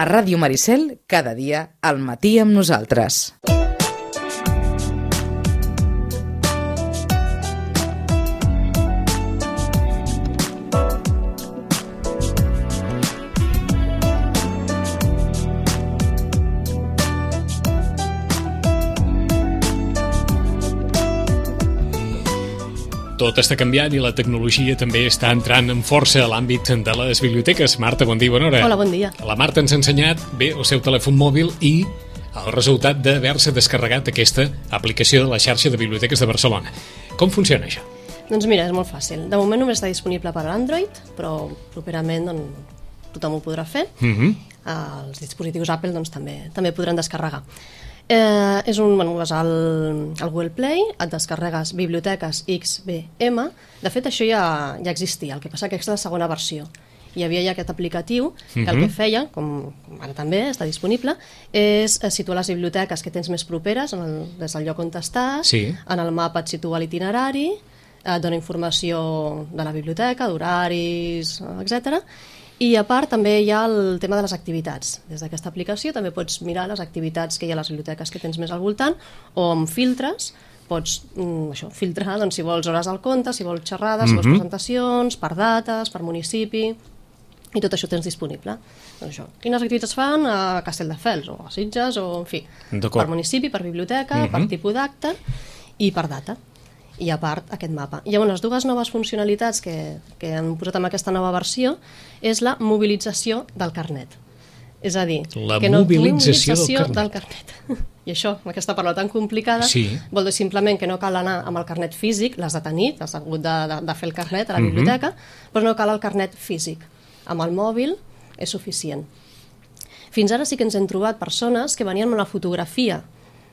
A Ràdio Maricel, cada dia al matí amb nosaltres. Tot està canviant i la tecnologia també està entrant amb força a l'àmbit de les biblioteques. Marta, bon dia, bona hora. Hola, bon dia. La Marta ens ha ensenyat bé el seu telèfon mòbil i el resultat d'haver-se descarregat aquesta aplicació de la xarxa de biblioteques de Barcelona. Com funciona això? Doncs mira, és molt fàcil. De moment només està disponible per a l'Android, però properament tothom ho podrà fer. Els dispositius Apple també podran descarregar. Vas al Google Play, et descarregues Biblioteques XBM. De fet, això ja existia, el que passa que és la segona versió. Hi havia ja aquest aplicatiu que el que feia, com ara també està disponible, és situar les biblioteques que tens més properes des del lloc on estàs, en el mapa et situa l'itinerari, et dona informació de la biblioteca, d'horaris, etc. I a part també hi ha el tema de les activitats. Des d'aquesta aplicació també pots mirar les activitats que hi ha a les biblioteques que tens més al voltant, o amb filtres pots filtrar si vols hores al conte, si vols xerrades, si vols presentacions, per dates, per municipi, i tot això tens disponible. Quines activitats fan a Castelldefels, o a Sitges, o en fi, per municipi, per biblioteca, per tipus d'acte i per data. I a part aquest mapa. Llavors, les dues noves funcionalitats que han posat en aquesta nova versió és la mobilització del carnet. És a dir, mobilització del carnet. I això, aquesta paraula tan complicada, vol dir simplement que no cal anar amb el carnet físic, l'has de tenir, has hagut de fer el carnet a la biblioteca, però no cal el carnet físic. Amb el mòbil és suficient. Fins ara sí que ens hem trobat persones que venien amb la fotografia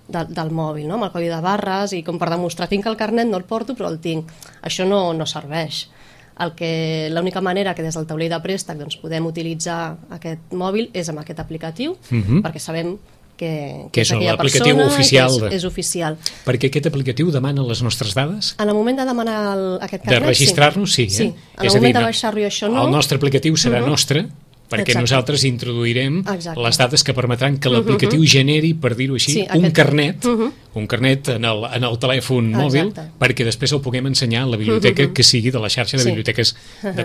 del mòbil, amb el codi de barres, i com per demostrar tinc el carnet, no el porto però el tinc. Això no serveix. L'única manera que des del taulell de préstec podem utilitzar aquest mòbil és amb aquest aplicatiu, perquè sabem que és aquella persona és oficial. Perquè aquest aplicatiu demana les nostres dades? En el moment de demanar aquest carnet, de registrar-nos, sí. En el moment de baixar-lo això no. El nostre aplicatiu serà nostre, perquè nosaltres introduirem les dades que permetran que l'aplicatiu generi, per dir-ho així, un carnet en el telèfon mòbil, perquè després el puguem ensenyar a la biblioteca que sigui de la xarxa de biblioteques. En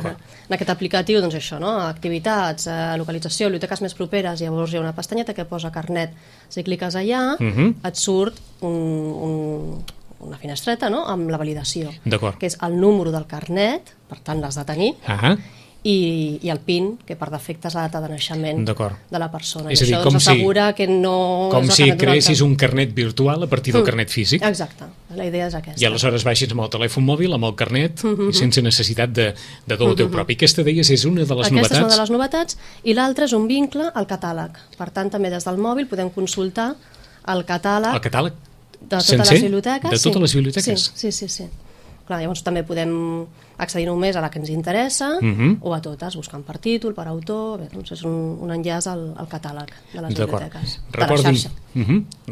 aquest aplicatiu, doncs això, activitats, localització, biblioteques més properes, llavors hi ha una pestanyeta que posa carnet. Si cliques allà, et surt una finestreta amb la validació, que és el número del carnet, per tant l'has de tenir, i el PIN, que per defecte és la data de naixement de la persona. És a dir, com si creessis un carnet virtual a partir del carnet físic. Exacte, la idea és aquesta. I aleshores baixis amb el telèfon mòbil, amb el carnet, sense necessitat de dur el teu propi. Aquesta, deies, és una de les novetats. Aquesta és una de les novetats, i l'altra és un vincle al catàleg. Per tant, també des del mòbil podem consultar el catàleg de totes les biblioteques. De totes les biblioteques? Sí. Llavors també podem accedir només a la que ens interessa o a totes, buscant per títol, per autor. És un enllaç al catàleg de les biblioteques, de la xarxa.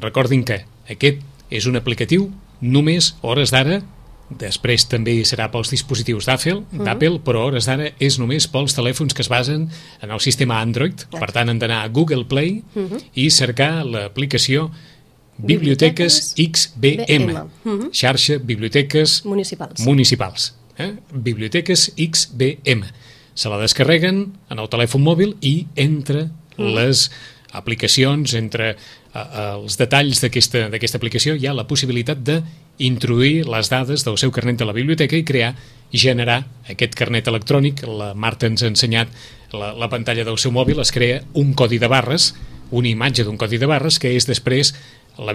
Recordin que aquest és un aplicatiu només hores d'ara, després també serà pels dispositius d'Apple, però hores d'ara és només pels telèfons que es basen en el sistema Android. Per tant, han d'anar a Google Play i cercar l'aplicació Biblioteques XBM, xarxa Biblioteques Municipals. Biblioteques XBM. Se la descarreguen en el telèfon mòbil i entre les aplicacions, entre els detalls d'aquesta aplicació, hi ha la possibilitat d'introduir les dades del seu carnet de la biblioteca i generar aquest carnet electrònic. La Marta ens ha ensenyat la pantalla del seu mòbil, es crea un codi de barres, una imatge d'un codi de barres que és després el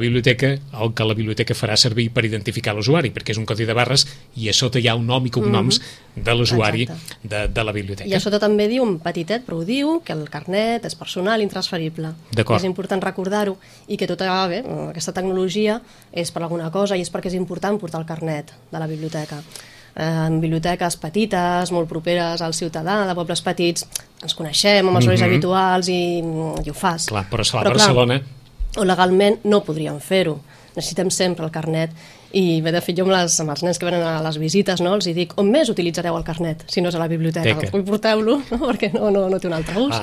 que la biblioteca farà servir per identificar l'usuari, perquè és un codi de barres i a sota hi ha un nom i cognoms de l'usuari de la biblioteca. I a sota també diu, un petitet, però ho diu, que el carnet és personal i intransferible. És important recordar-ho, i que tota aquesta tecnologia és per alguna cosa, i és perquè és important portar el carnet de la biblioteca. En biblioteques petites, molt properes al ciutadà, de pobles petits, ens coneixem amb els horaris habituals i ho fas. Clar, però a Barcelona o legalment no podríem fer-ho. Necessitem sempre el carnet I de fet jo amb els nens que venen a les visites, no, els dic, on més utilitzareu el carnet si no és a la biblioteca? Vull porteu-lo, no? Perquè no té un altre ús.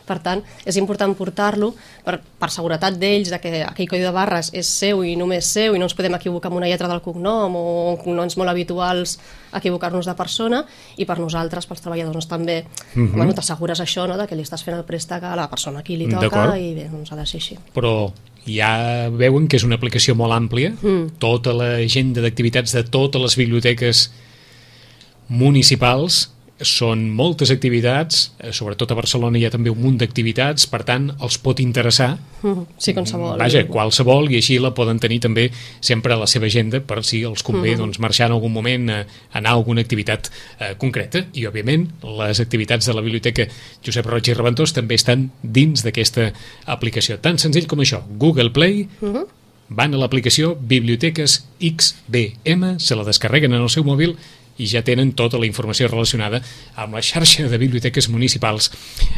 Per tant, és important portar-lo per seguretat d'ells, que aquell codi de barres és seu i només seu i no ens podem equivocar amb una lletra del cognom o cognoms molt habituals equivocar-nos de persona, i per nosaltres, pels treballadors també, bueno, t'assegures això, no?, de que li estàs fent el préstec a la persona a qui li toca, i bé, doncs ha de ser així. Però ja veuen que és una aplicació molt àmplia, tota l'agenda d'activitats de totes les biblioteques municipals, són moltes activitats, sobretot a Barcelona hi ha també un munt d'activitats, per tant els pot interessar, sí, qualsevol. Vaja, qualsevol, i així la poden tenir també sempre a la seva agenda per si els convé doncs, marxar en algun moment a anar a alguna activitat concreta. I òbviament les activitats de la Biblioteca Josep Roig i Reventós també estan dins d'aquesta aplicació, tan senzill com això. Google Play, van a l'aplicació Biblioteques XBM, se la descarreguen en el seu mòbil i ja tenen tota la informació relacionada amb la xarxa de biblioteques municipals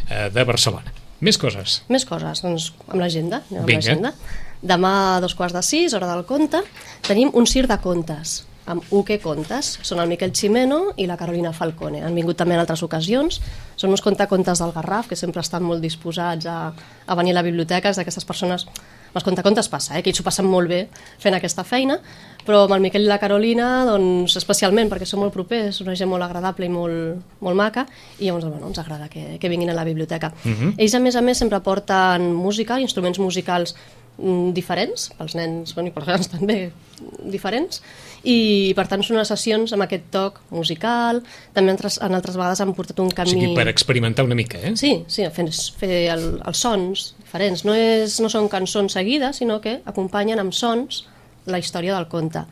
de Barcelona. Més coses? Més coses, doncs amb l'agenda. Vinga. Demà a 5:45, hora del conte, tenim un circ de contes amb UQ Contes. Són el Miquel Ximeno i la Carolina Falcone. Han vingut també en altres ocasions. Són uns contes del Garraf, que sempre estan molt disposats a venir a la biblioteca. És d'aquestes persones... Els contes passa, que ells s'ho passen molt bé fent aquesta feina, però amb el Miquel i la Carolina, doncs, especialment, perquè són molt propers, una gent molt agradable i molt maca, i llavors ens agrada que vinguin a la biblioteca. Ells, a més, sempre porten música, instruments musicals diferents, pels nens i pels grans també diferents, i per tant són unes sessions amb aquest toc musical. També en altres vegades han portat un camí... O sigui, per experimentar una mica, eh? Sí, fer els sons diferents. No són cançons seguides, sinó que acompanyen amb sons la història del conte.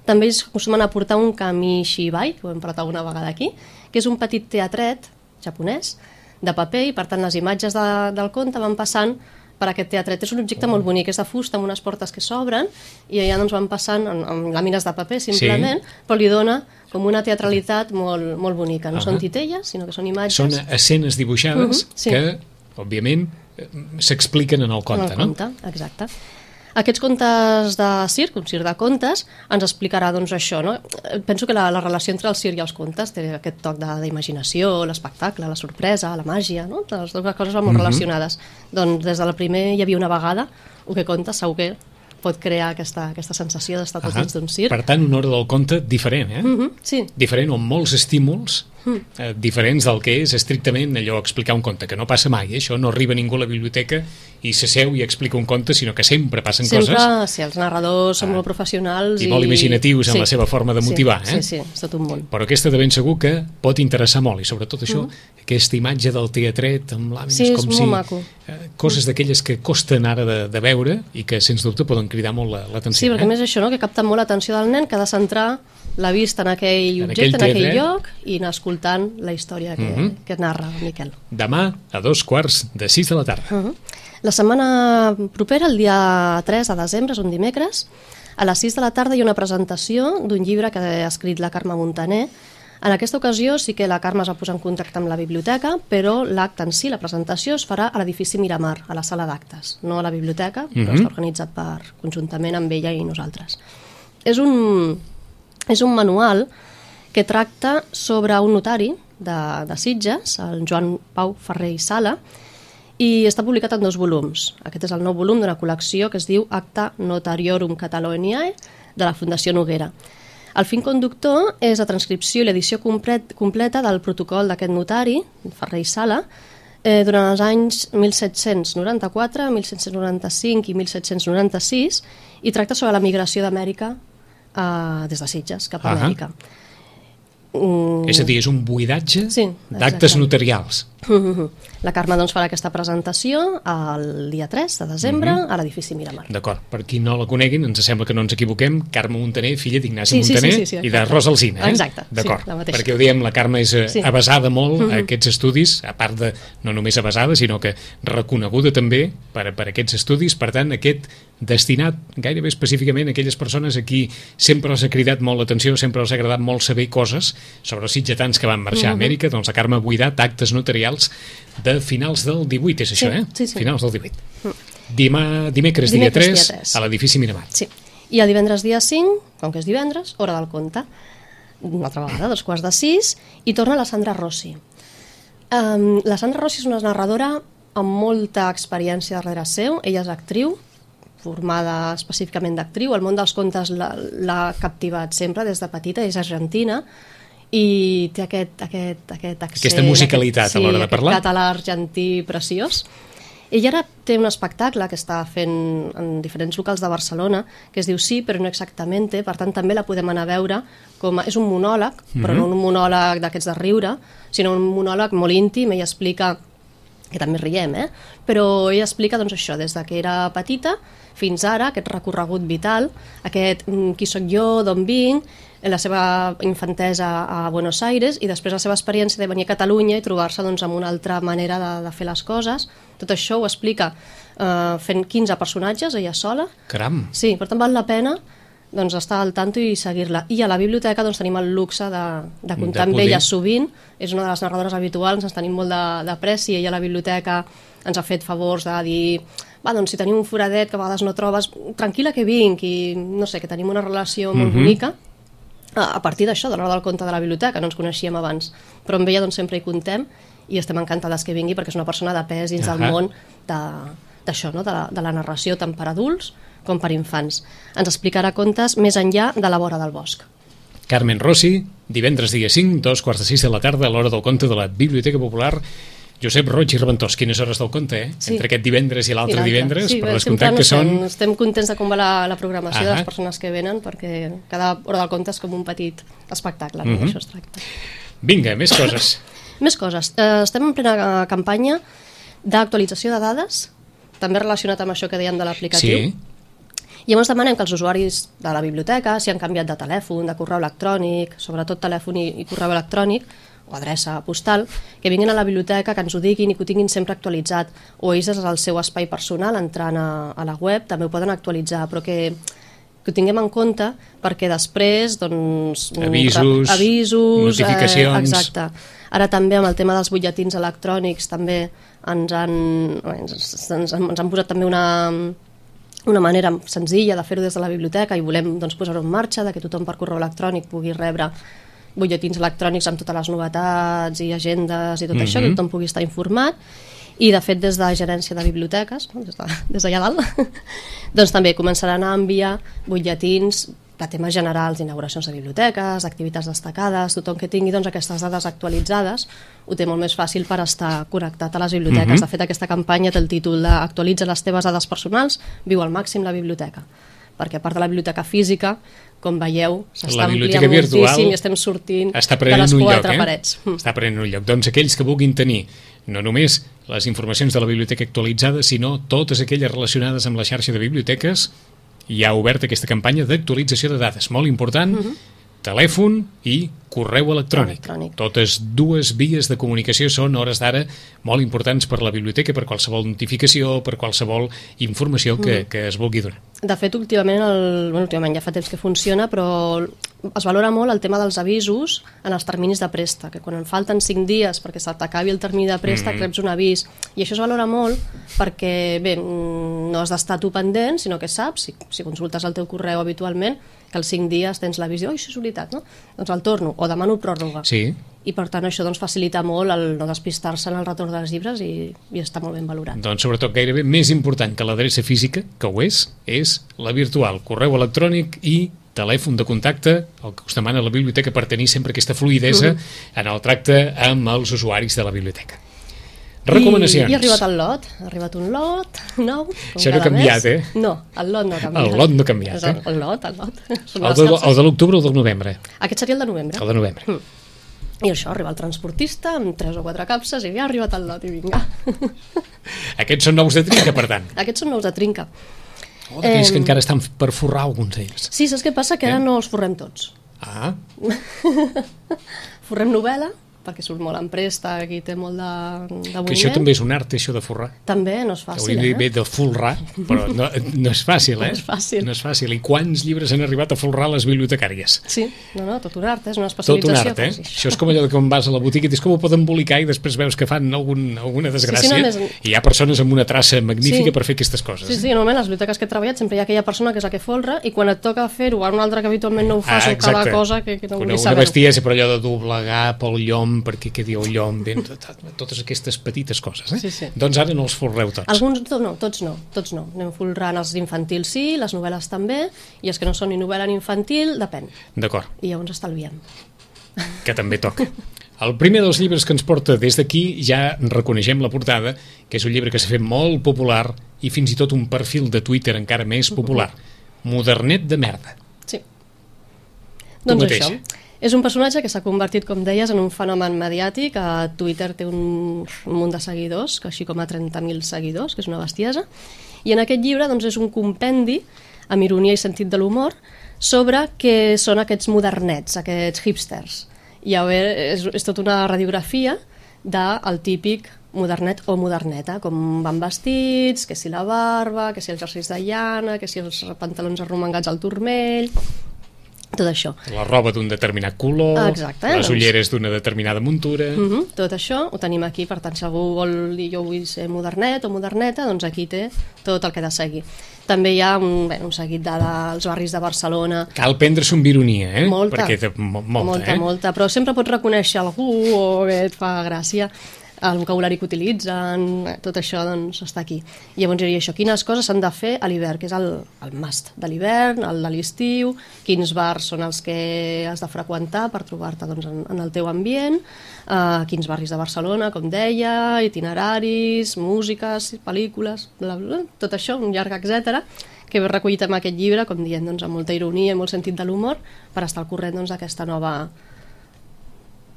També ells acostumen a portar un kamishibai, que ho hem parlat alguna vegada aquí, que és un petit teatret japonès de paper, i per tant les imatges del conte van passant per aquest teatret. És un objecte molt bonic, és de fusta amb unes portes que s'obren i allà doncs van passant amb làmines de paper simplement, però li dona com una teatralitat molt, molt bonica. No són titelles, sinó que són imatges. Són escenes dibuixades que, òbviament, s'expliquen en el conte, no? Exacte. Aquests contes de circ, un circ de contes, ens explicarà doncs això, no? Penso que la relació entre el circ i els contes té aquest toc d'imaginació, l'espectacle, la sorpresa, la màgia, no? Les dues coses van molt relacionades. Doncs des del primer hi havia una vegada, o que conta, segur que pot crear aquesta sensació d'estar tots dins d'un circ. Per tant, una hora del conte diferent, eh? Sí. Diferent, amb molts estímuls diferents del que és estrictament allò explicar un conte, que no passa mai, això no arriba ningú a la biblioteca i s'asseu i explica un conte, sinó que sempre passen coses. Sempre, sí, els narradors són molt professionals i molt imaginatius en la seva forma de motivar, Sí, és tot un món. Però aquesta de ben segur que pot interessar molt, i sobretot això, aquesta imatge del teatret amb làmines com si... maco. Coses d'aquelles que costen ara de veure i que sens dubte poden cridar molt l'atenció. Sí, perquè a més això, no?, que capta molt l'atenció del nen, que ha de centrar la vista en aquell objecte, en aquell lloc, i anar escoltant la història que narra el Miquel. Demà a 5:45 de la tarda. La setmana propera, el dia 3 de desembre, és un dimecres, a les 6 de la tarda hi ha una presentació d'un llibre que ha escrit la Carme Montaner. En aquesta ocasió sí que la Carme es va posar en contacte amb la biblioteca, però l'acte en si, la presentació, es farà a l'edifici Miramar, a la sala d'actes, no a la biblioteca, però està organitzat conjuntament amb ella i nosaltres. És un manual que tracta sobre un notari de Sitges, el Joan Pau Ferrer i Sala, i està publicat en 2 volums. Aquest és el nou volum d'una col·lecció que es diu Acta Notariorum Cataloniae, de la Fundació Noguera. El fil conductor és la transcripció i l'edició completa del protocol d'aquest notari, Ferrer i Sala, durant els anys 1794, 1795 i 1796, i tracta sobre la migració d'Amèrica des de Sitges cap a Amèrica. És a dir, és un buidatge d'actes notarials. La Carme doncs farà aquesta presentació el dia 3 de desembre a l'edifici Miramar. D'acord, per qui no la coneguin, ens sembla que no ens equivoquem, Carme Montaner, filla d'Ignasi Montaner i de Rosa Alsina. Exacte, d'acord, perquè ho diem, la Carme és avasada molt a aquests estudis, a part de no només avasada, sinó que reconeguda també per aquests estudis. Per tant, aquest destinat gairebé específicament a aquelles persones a qui sempre els ha cridat molt l'atenció, sempre els ha agradat molt saber coses sobre els sitgetans que van marxar a Amèrica. Doncs la Carme ha buidat actes notarials de finals del 18, és això, Sí. Finals del 18. Dimecres, dia 3, a l'edifici Miramar. Sí. I el divendres dia 5, com que és divendres, hora del conte. Una altra vegada, 5:45, i torna la Sandra Rossi. La Sandra Rossi és una narradora amb molta experiència darrere seu. Ella és actriu, formada específicament d'actriu. El món dels contes l'ha captivat sempre des de petita, és argentina, i té aquest accent, aquesta musicalitat a l'hora de parlar. Aquest català argentí preciós. Ella ara té un espectacle que està fent en diferents locals de Barcelona, que es diu Sí, però no exactamente, per tant també la podem anar a veure és un monòleg, però no un monòleg d'aquests de riure, sinó un monòleg molt íntim. Ella explica, que també riem, però ella explica doncs això, des de que era petita fins ara, aquest recorregut vital, aquest qui sóc jo, d'on vinc, la seva infantesa a Buenos Aires i després la seva experiència de venir a Catalunya i trobar-se doncs, amb una altra manera de fer les coses. Tot això ho explica fent 15 personatges, ella sola. Caram! Sí, per tant val la pena doncs, estar al tanto i seguir-la. I a la biblioteca doncs, tenim el luxe de comptar amb ella sovint. És una de les narradores habituals, ens tenim molt de pressi. Ella a la biblioteca ens ha fet favors de dir doncs, si tenim un foradet que a vegades no trobes, tranquil·la que vinc, i no sé, que tenim una relació molt bonica. A partir d'això, de l'hora del conte de la biblioteca, no ens coneixíem abans, però amb ella doncs, sempre hi contem i estem encantades que vingui perquè és una persona de pes dins del món d'això, no? de la narració tant per adults com per infants. Ens explicarà contes més enllà de la vora del bosc. Carmen Rossi, divendres dia 5, 2:45 de la tarda, a l'hora del conte de la Biblioteca Popular. Josep Roig i Reventós, quines hores del conte, Sí. Entre aquest divendres i l'altre divendres, sí, per descomptat que són... Estem contents de com va la programació de les persones que venen, perquè cada hora del conte és com un petit espectacle, no? Això es tracta. Vinga, més coses. Més coses. Estem en plena campanya d'actualització de dades, també relacionat amb això que dèiem de l'aplicatiu. Sí. I llavors demanem que els usuaris de la biblioteca, si han canviat de telèfon, de correu electrònic, sobretot telèfon i correu electrònic, o adreça postal, que vinguin a la biblioteca, que ens ho diguin i que ho tinguin sempre actualitzat, o ells des del seu espai personal, entrant a la web, també ho poden actualitzar, però que ho tinguem en compte perquè després doncs, avisos notificacions... Exacte. Ara també amb el tema dels butlletins electrònics també ens han posat també una manera senzilla de fer-ho des de la biblioteca i volem doncs, posar-ho en marxa, que tothom per correu electrònic pugui rebre butlletins electrònics amb totes les novetats i agendes i tot això, que tothom pugui estar informat. I de fet des de la gerència de biblioteques, des d'allà dalt, doncs també començaran a enviar butlletins de temes generals, inauguracions de biblioteques, activitats destacades. Tothom que tingui doncs, aquestes dades actualitzades ho té molt més fàcil per estar connectat a les biblioteques. De fet, aquesta campanya té el títol de Actualitza les teves dades personals, viu al màxim la biblioteca, perquè a part de la biblioteca física, com veieu, s'està ampliant moltíssim i estem sortint de les quatre parets. Està prenent un lloc. Doncs aquells que vulguin tenir no només les informacions de la biblioteca actualitzades, sinó totes aquelles relacionades amb la xarxa de biblioteques, hi ha obert aquesta campanya d'actualització de dades, molt important, telèfon i correu electrònic. Totes dues vies de comunicació són, a hores d'ara, molt importants per la biblioteca, per qualsevol notificació, per qualsevol informació que es vulgui donar. De fet, últimament ja fa temps que funciona, però es valora molt el tema dels avisos en els terminis de préstec, que quan en falten 5 dies perquè se t'acabi el termini de préstec reps un avís, i això es valora molt perquè, bé, no has d'estar tu pendent, sinó que saps, si consultes el teu correu habitualment, que als 5 dies tens l'avís i, això és veritat, no? Doncs el torno, o demano pròrroga. Sí. I per tant això doncs, facilita molt el no despistar-se en el retorn dels llibres i està molt ben valorat. Doncs sobretot gairebé més important que l'adreça física, que ho és la virtual, correu electrònic i telèfon de contacte, el que us demana la biblioteca per tenir sempre aquesta fluïdesa en el tracte amb els usuaris de la biblioteca. Recomanacions. I ha arribat el lot, ha arribat un lot nou. Això no ha canviat, No, el lot no ha canviat. El lot no ha canviat, El lot. El de l'octubre o el del novembre? Aquest seria el de novembre. El de novembre. I això, arriba el transportista amb 3 o 4 capses i ja ha arribat el lot i vinga. Aquests són nous de trinca, per tant. Aquests són nous de trinca. D'aquells que encara estan per forrar alguns d'ells. Sí, saps què passa? Que ara no els forrem tots. Ah. Forrem novel·la, perquè surt molt en préstec i té molt de moviment. Que això també és un art, això de forrar. També, no és fàcil, Hauríem de dir bé de folrar, però no és fàcil, No és fàcil. No és fàcil. I quants llibres han arribat a folrar les bibliotecàries? Sí, tot un art, és una Tot especialització. un art, Això és com allò de quan vas a la botiga i dius com ho poden embolicar i després veus que fan alguna desgràcia. I hi ha persones amb una traça magnífica per fer aquestes coses. Sí, normalment a les biblioteques que he treballat sempre hi ha aquella persona que és la que folra i quan et toca fer-ho a un altre que habitualment no ho fa, o cada cosa que no vull saber. Una bestiesa, però allò de doblegar pel llom, perquè quedi el llom, totes aquestes petites coses. Sí. Doncs ara no els folreu tots. Alguns no, tots no. Anem folrant els infantils sí, les novel·les també, i els que no són ni novel·la ni infantil, depèn. D'acord. I llavors estalviem. Que també toca. El primer dels llibres que ens porta des d'aquí, ja reconeixem la portada, que és un llibre que s'ha fet molt popular i fins i tot un perfil de Twitter encara més popular. Modernet de merda. Sí. Doncs això. És un personatge que s'ha convertit, com deies, en un fenomen mediàtic. A Twitter té un munt de seguidors, així com a 30.000 seguidors, que és una bestiesa. I en aquest llibre doncs, és un compendi, amb ironia i sentit de l'humor, sobre què són aquests modernets, aquests hipsters. I és tota una radiografia del típic modernet o moderneta, com van vestits, que si la barba, que si els jerseis de llana, que si els pantalons arromangats al turmell, tot això. La roba d'un determinat color, les ulleres d'una determinada muntura... Tot això ho tenim aquí, per tant, si algú vol dir jo vull ser modernet o moderneta, doncs aquí té tot el que ha de seguir. També hi ha un seguit dels barris de Barcelona. Cal prendre-s'ho amb ironia, Molta, perquè molta, però sempre pots reconèixer algú o que et fa gràcia, el vocabulari que utilitzen, tot això doncs està aquí. Llavors diria això, quines coses s'han de fer a l'hivern, que és el must de l'hivern, el de l'estiu, quins bars són els que has de freqüentar per trobar-te doncs, en el teu ambient, quins barris de Barcelona, com deia, itineraris, músiques, pel·lícules, bla, bla, tot això, un llarg etcètera, que he recollit en aquest llibre, com dient, doncs, amb molta ironia i molt sentit de l'humor, per estar al corrent d'aquesta nova...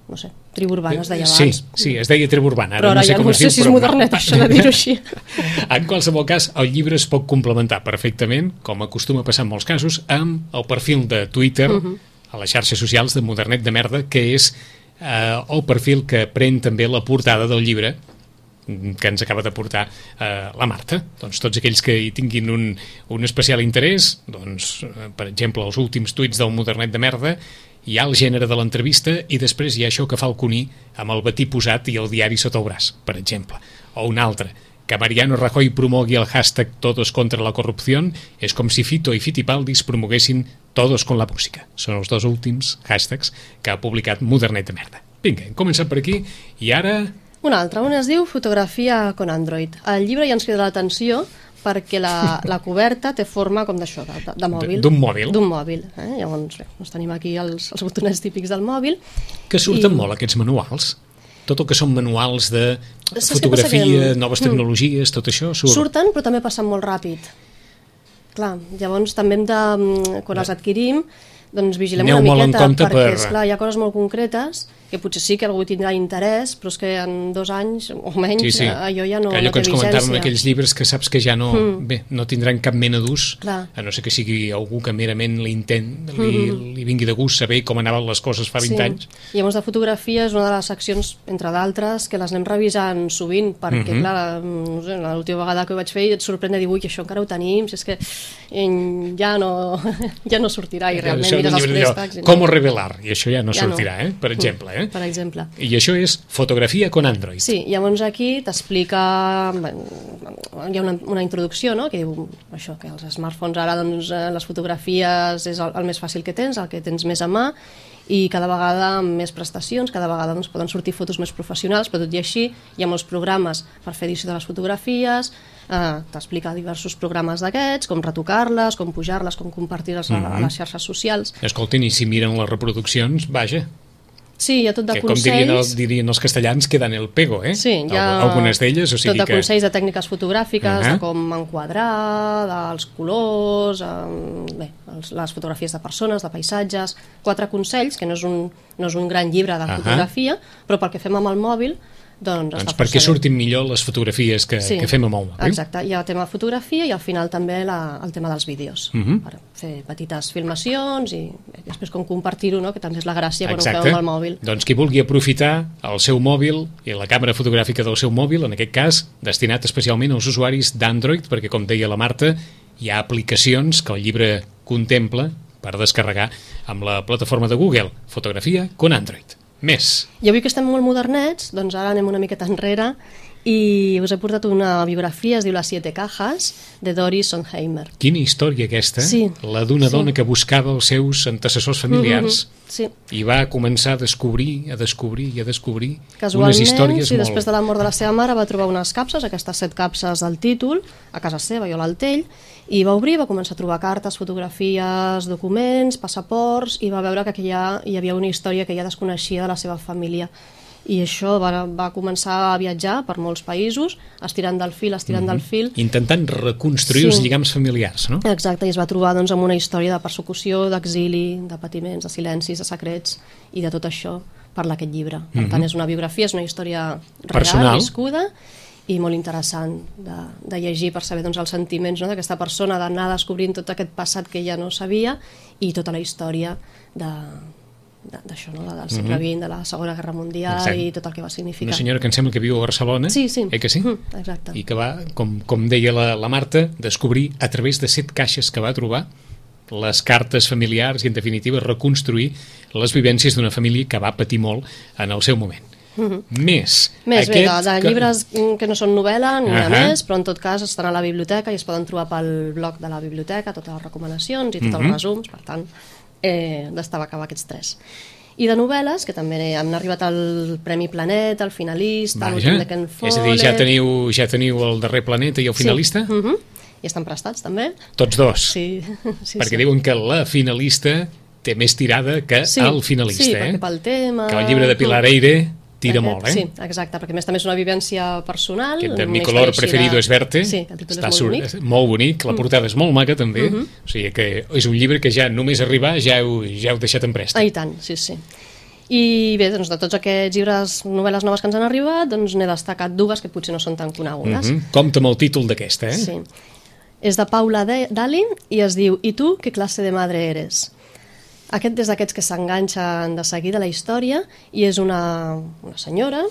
no sé, tribu urbana es deia abans. Sí, es deia tribu urbana. Però ara ja no sé si és modernet, això de dir-ho així. En qualsevol cas, el llibre es pot complementar perfectament, com acostuma a passar en molts casos, amb el perfil de Twitter, a les xarxes socials de Modernet de Merda, que és el perfil que pren també la portada del llibre que ens acaba de portar la Marta. Doncs tots aquells que hi tinguin un especial interès, doncs, per exemple, els últims tuits del Modernet de Merda, hi ha el gènere de l'entrevista i després hi ha això que fa el Cuní amb el batí posat i el diari sota el braç, per exemple. O un altre, que Mariano Rajoy promogui el hashtag Todos contra la corrupción és com si Fito i Fitipaldis promoguessin Todos con la música. Són els dos últims hashtags que ha publicat Modernet de Merda. Vinga, hem començat per aquí i ara... Un altre, un es diu Fotografia con Android. El llibre ja ens crida l'atenció perquè la coberta té forma com d'això, de mòbil. D'un mòbil. D'un mòbil. Llavors, doncs tenim aquí els botonets típics del mòbil. Que surten molt aquests manuals. Tot el que són manuals de fotografia, noves tecnologies, tot això surt. Surten, però també passen molt ràpid. Clar, llavors també hem de, quan els adquirim, doncs vigilem una miqueta, perquè esclar, hi ha coses molt concretes que potser sí que algú tindrà interès, però és que en 2 anys o menys allò ja no té vigència. Allò que ens comentàvem aquells llibres que saps que ja no, no tindran cap mena d'ús, a no ser que sigui algú que merament li vingui de gust saber com anaven les coses fa 20 anys. I llavors de fotografia és una de les seccions, entre d'altres, que les anem revisant sovint, perquè clar, no sé, l'última vegada que ho vaig fer et sorprèn de dir, ui, això encara ho tenim, si és que ja no sortirà i realment mires els préstecs. Com revelar, i això ja no sortirà, per exemple. Per exemple. I això és fotografia con Android. Sí, llavors aquí t'explica, hi ha una introducció, no?, que diu això, que els smartphones ara, doncs, les fotografies és el més fàcil que tens, el que tens més a mà, i cada vegada amb més prestacions, cada vegada doncs, poden sortir fotos més professionals, però tot i així hi ha molts programes per fer edició de les fotografies, t'explica diversos programes d'aquests, com retocar-les, com pujar-les, com compartir-les a les xarxes socials. Escoltin, i si miren les reproduccions, vaja... Sí, hi ha tot de consells... Com dirien els castellans, queden el pego, Sí, hi ha algunes d'elles, o sigui tot de consells de tècniques fotogràfiques, de com enquadrar, dels colors, les fotografies de persones, de paisatges... 4 consells, que no és un gran llibre de fotografia, però pel que fem amb el mòbil doncs perquè surtin millor les fotografies que fem amb el mòbil. Exacte, hi ha el tema de fotografia i al final també el tema dels vídeos, per fer petites filmacions i després com compartir-ho, no? Que també és la gràcia quan ho fem amb el mòbil. Doncs qui vulgui aprofitar el seu mòbil i la càmera fotogràfica del seu mòbil, en aquest cas destinat especialment als usuaris d'Android, perquè com deia la Marta, hi ha aplicacions que el llibre contempla per descarregar amb la plataforma de Google, Fotografia con Android. Més. I avui que estem molt modernets, doncs ara anem una miqueta enrere i us he portat una biografia, es diu Les 7 cajas, de Doris Sondheimer. Quina història aquesta, la d'una dona que buscava els seus antecessors familiars i va començar a descobrir unes històries molt... Després de la mort de la seva mare va trobar unes capses, aquestes 7 capses del títol, a casa seva i a l'Altell, i va obrir, va començar a trobar cartes, fotografies, documents, passaports, i va veure que hi havia una història que ella desconeixia de la seva família. I això va començar a viatjar per molts països, estirant del fil, intentant reconstruir els lligams familiars, no? Exacte, i es va trobar doncs, amb una història de persecució, d'exili, de patiments, de silencis, de secrets, i de tot això parla aquest llibre. Per tant, és una biografia, és una història real, viscuda, i molt interessant de llegir per saber doncs, els sentiments, no? D'aquesta persona, d'anar descobrint tot aquest passat que ella no sabia i tota la història d'això, no? Del segle XX, de la Segona Guerra Mundial i tot el que va significar. Una senyora que em sembla que viu a Barcelona, que sí? Exacte. I que va, com deia la Marta, descobrir a través de 7 caixes que va trobar les cartes familiars i en definitiva reconstruir les vivències d'una família que va patir molt en el seu moment. Més bé, de llibres que no són novel·la ni més, però en tot cas estan a la biblioteca i es poden trobar pel blog de la biblioteca totes les recomanacions i tots els resums, per tant d'estar a acabar aquests 3. I de novel·les, que també han arribat al Premi Planeta, el finalista, l'últim de Ken Follett... És a dir, ja teniu el darrer Planeta i el finalista? I estan prestats també. Tots dos? Sí. Perquè diuen que la finalista té més tirada que el finalista. Sí, perquè pel tema... Que el llibre de Pilar Eyre tira molt, Sí, exacte, perquè a més també és una vivència personal. De Mi color preferido es verte. Sí, el títol és molt bonic. Molt bonic, la portada és molt maca també, o sigui que és un llibre que ja només arribar ja heu deixat en préstec. I tant, sí. I bé, doncs de tots aquests llibres, novel·les noves que ens han arribat, doncs n'he destacat 2 que potser no són tan conegudes. Compte amb el títol d'aquesta, Sí. És de Paula Dali i es diu I tu, què classe de madre eres? Aquest és d'aquests que s'enganxen de seguida a la història i és una senyora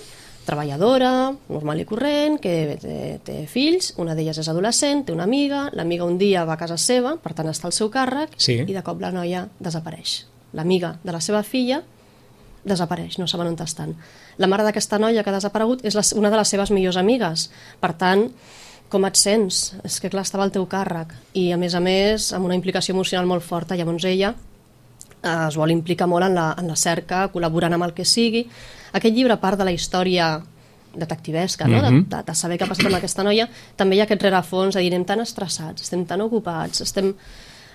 treballadora, normal i corrent, que té fills, una d'elles és adolescent, té una amiga, l'amiga un dia va a casa seva, per tant està al seu càrrec, i de cop la noia desapareix. L'amiga de la seva filla desapareix, no saben on estan. La mare d'aquesta noia que ha desaparegut és una de les seves millors amigues, per tant, com et sents? És que clar, estava al teu càrrec, i a més, amb una implicació emocional molt forta, llavors ella es vol implicar molt en la cerca, col·laborant amb el que sigui. Aquest llibre, a part de la història detectivesca, no? de saber què ha passat amb aquesta noia, també hi ha aquest rerefons de dir, anem tan estressats, estem tan ocupats,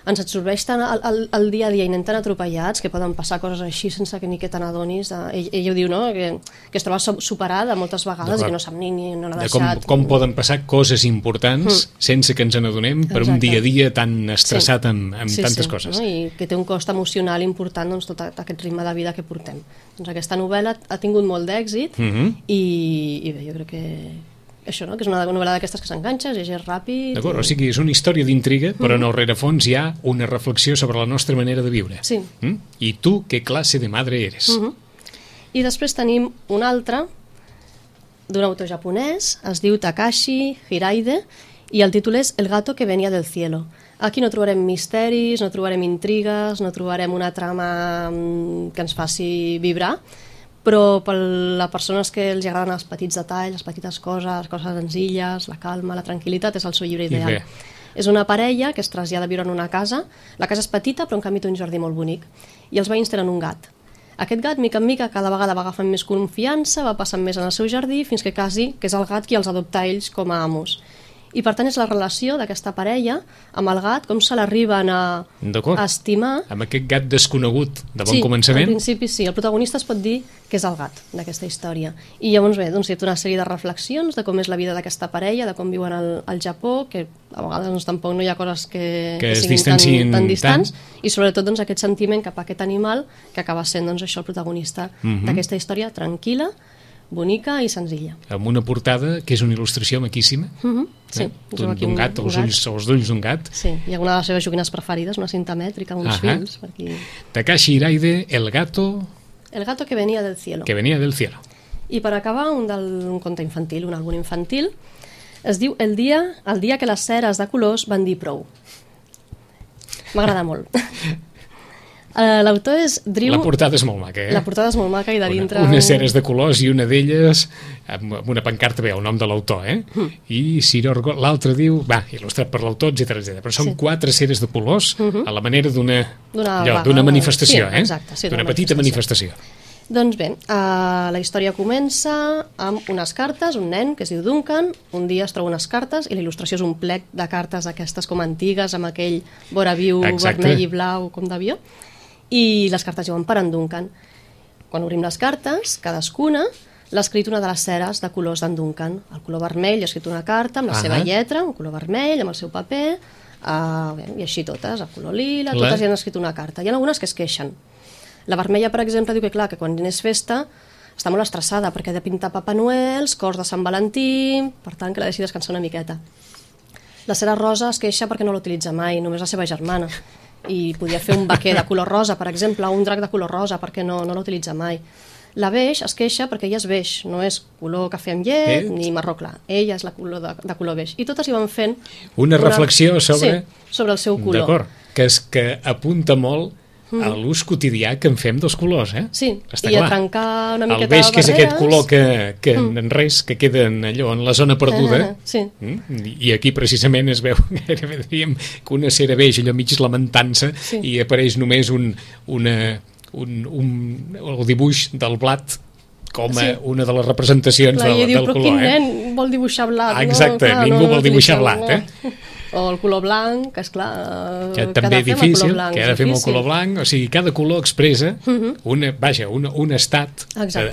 ens absorbeix tant el dia a dia i anem tan atropellats que poden passar coses així sense que ni que te n'adonis. Ell ho diu, no? Que es troba superada moltes vegades i que no sap ni on ha deixat. Com poden passar coses importants sense que ens n'adonem per un dia a dia tan estressat amb tantes coses. No? I que té un cost emocional important, doncs, tot aquest ritme de vida que portem. Doncs aquesta novel·la ha tingut molt d'èxit i bé, jo crec que això, no? Que és una novel·la d'aquestes que s'enganxa, llegeix ràpid... D'acord, o sigui, és una història d'intriga, però en el rerefons hi ha una reflexió sobre la nostra manera de viure. Sí. I tu, què classe de madre eres? I després tenim un altre, d'un autor japonès, es diu Takashi Hiraide, i el títol és El gato que venia del cielo. Aquí no trobarem misteris, no trobarem intrigues, no trobarem una trama que ens faci vibrar, però per les persones que els agraden els petits detalls, les petites coses senzilles, la calma, la tranquil·litat, és el seu llibre ideal. És una parella que es trasllada a viure en una casa. La casa és petita, però en canvi té un jardí molt bonic. I els veïns tenen un gat. Aquest gat, mica en mica, cada vegada va agafant més confiança, va passant més en el seu jardí, fins que quasi que és el gat qui els adopta ells com a amos. I per tant és la relació d'aquesta parella amb el gat, com se l'arriben a estimar. Amb aquest gat desconegut de bon començament. Sí, al principi sí, el protagonista es pot dir que és el gat d'aquesta història. I llavors bé, doncs hi ha una sèrie de reflexions de com és la vida d'aquesta parella, de com viuen al Japó, que a vegades doncs, tampoc no hi ha coses que siguin tan distants, i sobretot doncs, aquest sentiment cap a aquest animal que acaba sent doncs, això el protagonista d'aquesta història tranquil·la, bonica i senzilla. Amb una portada que és una il·lustració maquíssima, Sí, d'un gat, els ulls d'un gat. Sí, hi ha una de les seves joguines preferides, una cinta mètrica amb uns fils. Per aquí. Takashi Hiraide, El gato que venía del cielo. que venía del cielo. I per acabar, un conte infantil, un àlbum infantil, es diu El dia que les ceres de colors van dir prou. M'agrada molt. L'autor és Drew... La portada és molt maca, La portada és molt maca i de dintre... Unes ceres de colors i una d'elles amb una pancarta ve el nom de l'autor, I Sirorgo, l'altre diu, il·lustrat per l'autor, etc. Però són 4 ceres de colors a la manera d'una manifestació, sí, exacte, sí, d'una petita manifestació. Doncs bé, la història comença amb unes cartes, un nen que es diu Duncan, un dia es troba unes cartes i la il·lustració és un plec de cartes aquestes com antigues, amb aquell vora viu, vermell i blau com d'avió, i les cartes diuen per en Duncan. Quan obrim les cartes, cadascuna l'ha escrit una de les ceres de colors d'en Duncan. El color vermell ha escrit una carta amb la seva lletra, un color vermell, amb el seu paper, i així totes, el color lila, totes hi han escrit una carta. Hi ha algunes que es queixen. La vermella, per exemple, diu que clar, que quan és festa està molt estressada perquè ha de pintar Papa Noels, cors de Sant Valentí, per tant que l'ha de deixar descansar una miqueta. La cera rosa es queixa perquè no l'utilitza mai, només la seva germana. I podia fer un vaquer de color rosa, per exemple, o un drac de color rosa, perquè no l'utilitza mai. La beix es queixa perquè ella és beix, no és color cafè amb llet ni marró clar. Ella és la color de color beix. I totes hi van fent... Una reflexió sobre... Sí, sobre el seu color. D'acord, que apunta molt a l'ús quotidià que en fem dels colors, Sí, està i clar. a trencar una miqueta el beix, que és aquest color que Mm. en res, que queda allò en la zona perduda, Sí. I aquí precisament es veu gairebé diríem que una cera beix allò mig lamentant-se i apareix només el dibuix del blat com una de les representacions del color. Però quin nen vol dibuixar blat? Exacte, no? Clar, ningú vol dibuixar blat, O el color blanc, que esclar... Que també difícil, que ha de fer amb el color blanc, o sigui, cada color expressa un estat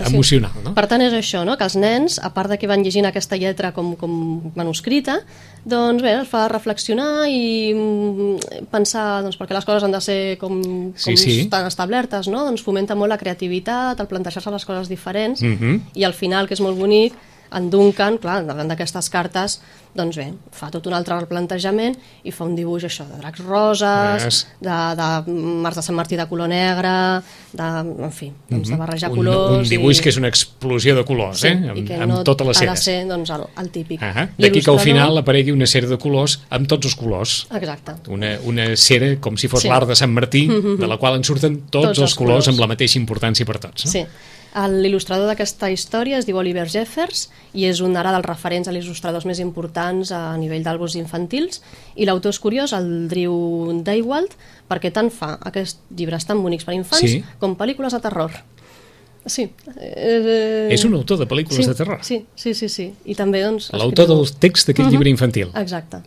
emocional, no? Per tant, és això, no? Que els nens, a part de que van llegint aquesta lletra com manuscrita, doncs bé, els fa reflexionar i pensar, doncs, perquè les coses han de ser com estan establertes, no? Doncs fomenta molt la creativitat, el plantejar-se les coses diferents, i al final, que és molt bonic, en Duncan, clar, davant d'aquestes cartes, doncs bé, fa tot un altre replantejament i fa un dibuix, això, de dracs roses, de mars de Sant Martí de color negre, en fi, de barrejar colors... Un dibuix que és una explosió de colors, amb totes les ceres. Ha de ser, doncs, el típic. D'aquí que al final aparegui una cera de colors amb tots els colors. Exacte. Una cera com si fos l'art de Sant Martí, de la qual en surten tots els colors amb la mateixa importància per tots, no? Sí. L'il·lustrador d'aquesta història es diu Oliver Jeffers i és un ara dels referents a il·lustradors més importants a nivell d'àlbums infantils, i l'autor és curiós, el Drew Daywalt, perquè tant fa aquests llibres tan bonics per infants com pel·lícules de terror. Sí. És un autor de pel·lícules de terror. Sí. I també, doncs... L'autor del text d'aquest llibre infantil. Exacte.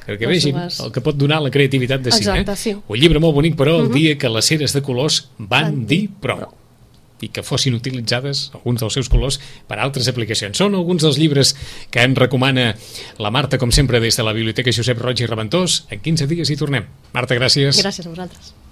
Que vegin el que pot donar la creativitat de cine. Exacte, sí. Un llibre molt bonic, però, el dia que les ceres de colors van dir prou, i que fossin utilitzades alguns dels seus colors per a altres aplicacions. Són alguns dels llibres que ens recomana la Marta, com sempre, des de la Biblioteca Josep Roig i Reventós. En 15 dies hi tornem. Marta, gràcies. Gràcies a vosaltres.